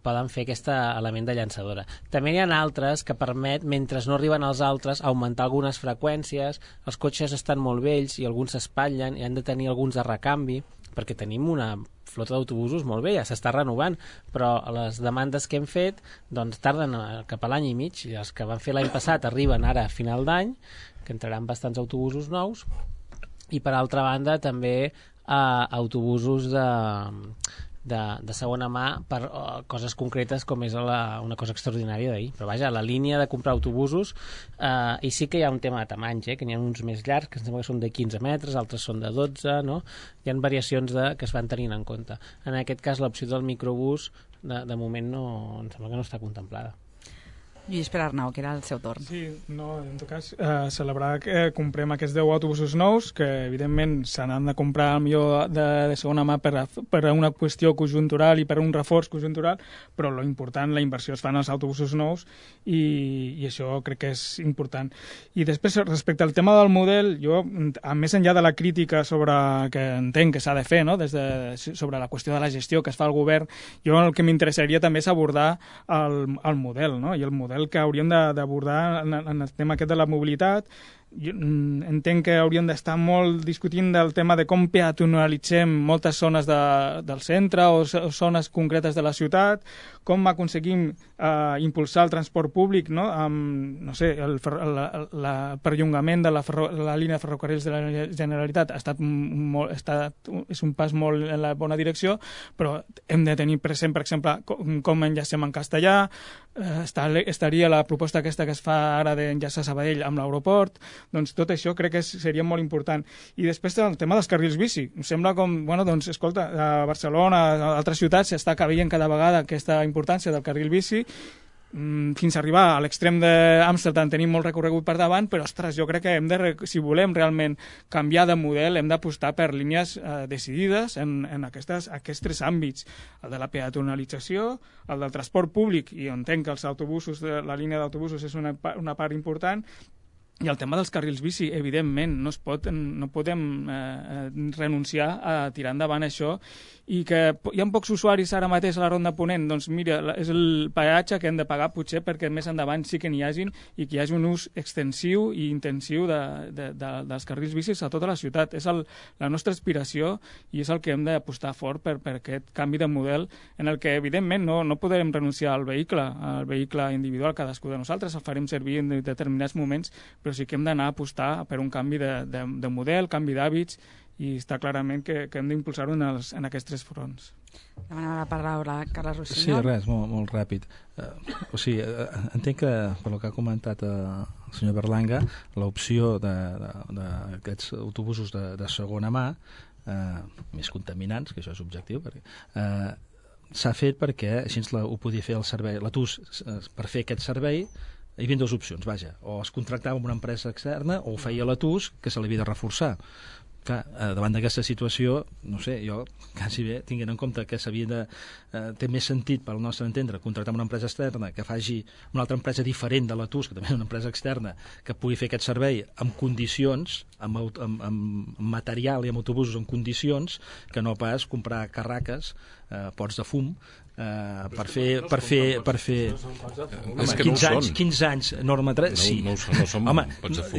poden fer aquest element de llançadora. També hi ha altres que permet, mentre no arriben els altres, augmentar algunes freqüències. Els cotxes estan molt vells i alguns s'espatllen i han de tenir alguns de recanvi, perquè tenim una flota d'autobusos molt bé, ja s'està renovant, però les demandes que hem fet doncs tarden cap a l'any i mig, i els que van fer l'any passat arriben ara a final d'any, que entraran bastants autobusos nous, i per altra banda també autobusos de segona mà per coses concretes com és una cosa extraordinària d'ahir. Però vaja, la línia de comprar autobusos, i sí que hi ha un tema de tamanys, que n'hi ha uns més llargs, que em sembla que són de 15 metres, altres són de 12, no? Hi ha variacions que es van tenint en compte. En aquest cas, l'opció del microbús, de moment, em sembla que no està contemplada. Lluís Pere Arnau, que era el seu torn. Sí, no, en tot cas, celebrar que comprem aquests 10 autobusos nous, que evidentment se n'han de comprar millor de segona mà per a una qüestió conjuntural i per a un reforç conjuntural, però lo important, la inversió es fan als autobusos nous i això crec que és important. I després, respecte al tema del model, jo, a més enllà de la crítica que entenc que s'ha de fer, no? Sobre la qüestió de la gestió que es fa al govern, jo el que m'interessaria també és abordar el model, no? I el model que hauríem d'abordar en el tema aquest de la mobilitat. Jo entenc que hauríem d'estar molt discutint del tema de com peatonalitzem moltes zones del centre o zones concretes de la ciutat, com aconseguim impulsar el transport públic, no? No sé, el perllongament de la línia de ferrocarrils de la Generalitat és un pas molt en la bona direcció, però hem de tenir present, per exemple, com enllacem en castellà. Estaria la proposta aquesta que es fa ara d'enllaçar Sabadell amb l'aeroport. Doncs tot això crec que seria molt important. I després el tema dels carrils bici. Em sembla com, escolta, a Barcelona, a altres ciutats s'està veient cada vegada aquesta importància del carril bici, fins a arribar a l'extrem d'Amsterdam tenim molt recorregut per davant, però ostres, jo crec que si volem realment canviar de model hem d'apostar per línies decidides en aquests tres àmbits, el de la peatonalització, el del transport públic, i entenc que els autobusos, la línia d'autobusos és una part important, i el tema dels carrils bici, evidentment, no podem renunciar a tirar endavant això, i que hi ha pocs usuaris ara mateix a la Ronda Ponent, doncs mira, és el peatge que hem de pagar potser perquè més endavant sí que n'hi hagin i que hi hagi un ús extensiu i intensiu dels carrils bicis a tota la ciutat. És la nostra aspiració i és el que hem d'apostar fort per aquest canvi de model en el que, evidentment, no podem renunciar al vehicle individual, cadascú de nosaltres, el farem servir en determinats moments, però sí que hem d'anar a apostar per un canvi de model, canvi d'hàbits, i està clarament que hem d'impulsar-ho en aquests tres fronts. Demanava la paraula Carles Rossinyol. Sí, res, molt ràpid. Entenc que, per el que ha comentat el senyor Berlanga, l'opció d'aquests autobusos de segona mà, més contaminants, que això és objectiu, perquè s'ha fet perquè així ho podia fer el servei, la TUS, per fer aquest servei. Hi havia dues opcions, vaja, o es contractava amb una empresa externa o ho feia la TUS, que se l'havia de reforçar. Clar, davant d'aquesta situació, no sé, jo quasi bé, tinguent en compte que té més sentit, pel nostre entendre, contractar una empresa externa que faci una altra empresa diferent de la TUS, que també és una empresa externa, que pugui fer aquest servei amb condicions, amb material i amb autobusos en condicions, que no pas comprar carraques, pots de fum, per fer 15 anys norma 3, sí. No són pots de fum. Pots de fum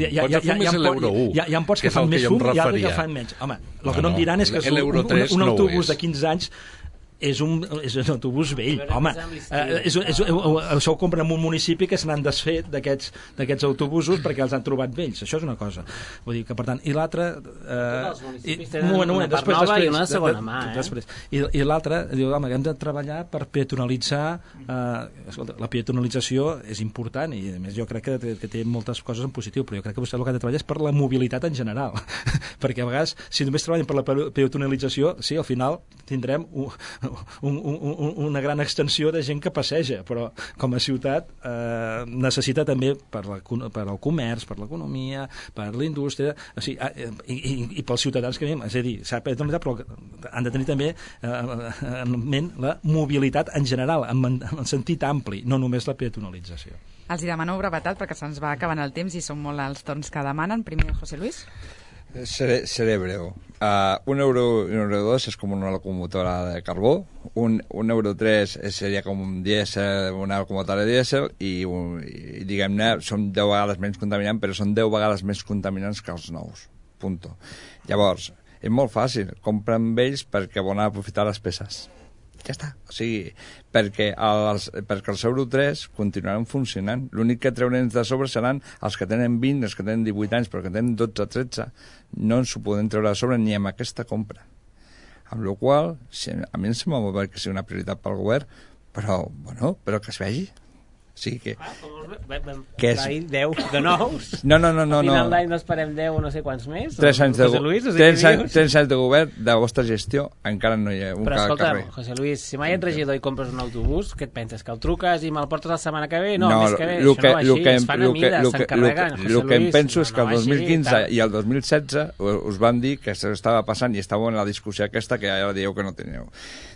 és l'Euro 1. Hi ha pots que fan més fum i altres que fan menys. Home, el que no em diran és que un autobús de 15 anys és un autobús vell, home. Això ho compren en un municipi que se n'han desfet d'aquests autobusos perquè els han trobat vells. Això és una cosa. Vull dir que, per tant, i l'altre... Tots els municipis tenen una part nova i una de segona mà, I l'altre, diu, home, hem de treballar per peatonalitzar... Escolta, la peatonalització és important i, a més, jo crec que té moltes coses en positiu, però jo crec que vostè el que ha de treballar és per la mobilitat en general. Perquè, a vegades, si només treballem per la peatonalització, sí, al final tindrem una gran extensió de gent que passeja, però com a ciutat necessita també per al comerç, per l'economia, per la indústria, o sigui, i pels ciutadans que vivim, és a dir, però han de tenir també en ment la mobilitat en general, en sentit ampli, no només la peatonalització. Els demano brevetat perquè se'ns va acabant el temps i són molt els torns que demanen. Primer, José Luis. Seré breu. €1 és com una locomotora de carbó, €1 seria com una locomotora de dièsel i diguem-ne, són 10 vegades menys contaminants, però són 10 vegades més contaminants que els nous. Punto. Llavors, és molt fàcil, compra amb ells perquè volen aprofitar les peces. Ja està. O sigui, perquè els Euro 3 continuaran funcionant. L'únic que treurem de sobre seran els que tenen 20, els que tenen 18 anys, però que tenen 12 o 13. No ens ho podem treure de sobre ni amb aquesta compra. Amb la qual cosa, a mi em sembla molt bé que sigui una prioritat pel govern, però que es vegi. O sigui que... que és... 10 de nous? No. A final d'any n'esperem 10 o no sé quants més? 3 anys de govern, de vostra gestió, encara no hi ha un carrer. Però escolta'm, José Luis, si mai ets regidor i compres un autobús, què et penses? Que el truques i me'l portes la setmana que ve? No, més que bé, això no va així, es fan a mida, s'encarreguen. El que em penso és que el 2015 i el 2016 us van dir que s'estava passant i estàveu en la discussió aquesta que ara dieu que no teníeu.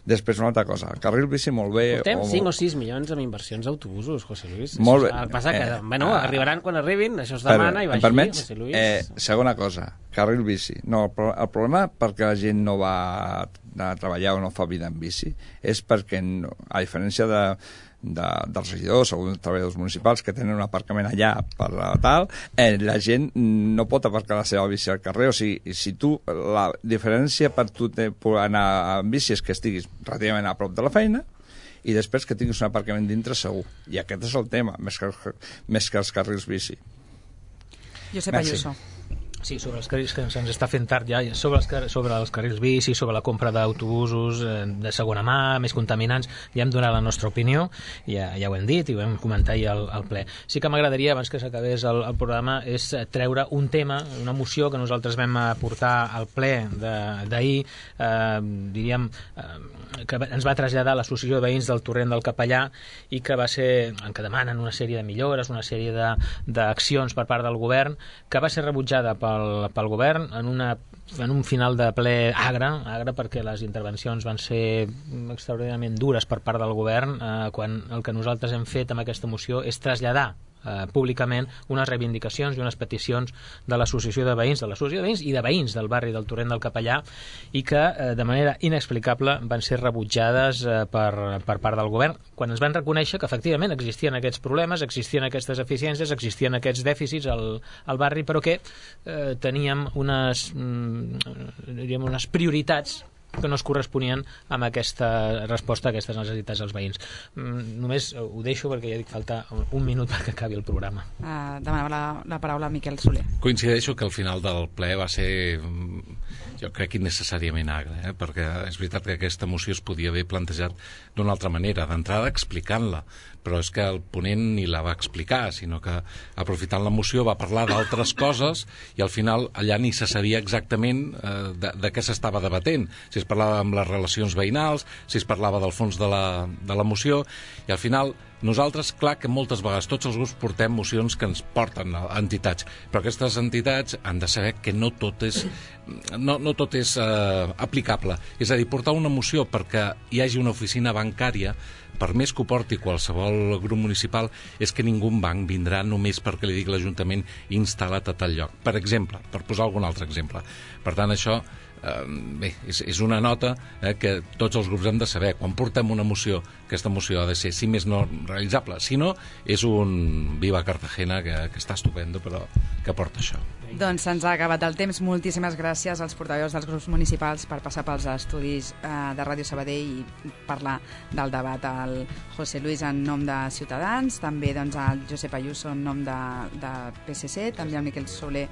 Després una altra cosa, el carril bici molt bé... Portem 5 o 6 milions amb inversions d'autobusos, José Luis. Molt bé. El que passa que, arribaran quan arribin, això es demana i va així, José Luis. Segona cosa, carril bici. No, el problema perquè la gent no va a treballar o no fa vida en bici és perquè, a diferència dels regidors o dels treballadors municipals que tenen un aparcament allà per tal, la gent no pot aparcar la seva bici al carrer. O sigui, si tu, la diferència per tu anar en bici és que estiguis relativament a prop de la feina i després que tinguis un aparcament dintre segur. I aquest és el tema, més que els carrils bici. Josep Ayuso. Sí, sobre els carrils, que se'ns està fent tard ja, sobre els carrils bici, sobre la compra d'autobusos de segona mà, més contaminants, ja hem donat la nostra opinió, ja ho hem dit i ho vam comentar ahir al ple. Sí que m'agradaria, abans que s'acabés el programa, és treure un tema, una moció que nosaltres vam portar al ple d'ahir, diríem, que ens va traslladar l'Associació de Veïns del Torrent del Capellà i que va ser, en què demanen una sèrie de millores, una sèrie d'accions per part del govern, que va ser rebutjada pel govern en un final de ple agre perquè les intervencions van ser extraordinàriament dures per part del govern, quan el que nosaltres hem fet amb aquesta moció és traslladar públicament unes reivindicacions i unes peticions de l'Associació de Veïns, i de veïns del barri del Torrent del Capellà, i que de manera inexplicable van ser rebutjades per part del govern, quan ens van reconèixer que efectivament existien aquests problemes, existien aquestes eficiències, existien aquests dèficits al barri, però que teníem unes prioritats que no es corresponien amb aquesta resposta a aquestes necessitats dels veïns. Només ho deixo perquè ja dic falta un minut perquè acabi el programa. Demanava la paraula a Miquel Soler. Coincideixo que al final del ple va ser, jo crec, innecessàriament agre, perquè és veritat que aquesta moció es podia haver plantejat d'una altra manera, d'entrada explicant-la, però és que el ponent ni la va explicar, sinó que aprofitant la moció va parlar d'altres coses i al final allà ni se sabia exactament de què s'estava debatent, si es parlava amb les relacions veïnals, si es parlava del fons de la moció, i al final nosaltres, clar que moltes vegades tots els grups portem mocions que ens porten a entitats, però aquestes entitats han de saber que no tot és aplicable. És a dir, portar una moció perquè hi hagi una oficina bancària, per més que ho porti qualsevol grup municipal, és que ningú banc vindrà només perquè li digui l'Ajuntament instal·lat a tal lloc. Per exemple, per posar algun altre exemple. Per tant, això és una nota que tots els grups hem de saber. Quan portem una moció, aquesta moció ha de ser, si més no, realitzable. Si no, és un Viva Cartagena que està estupendo, però que porta això. Doncs se'ns ha acabat el temps. Moltíssimes gràcies als portaveus dels grups municipals per passar pels estudis de Ràdio Sabadell i parlar del debat. Al José Luis en nom de Ciutadans, també doncs, al Josep Ayuso en nom de PSC, també al Miquel Soler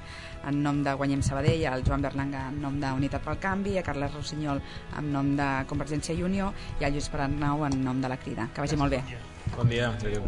en nom de Guanyem Sabadell, al Joan Berlanga en nom d'Unitat pel Canvi, a Carles Rossinyol en nom de Convergència i Unió i al Lluís Paranau en nom de la Crida. Que vagi molt bé. Bon dia. Adéu.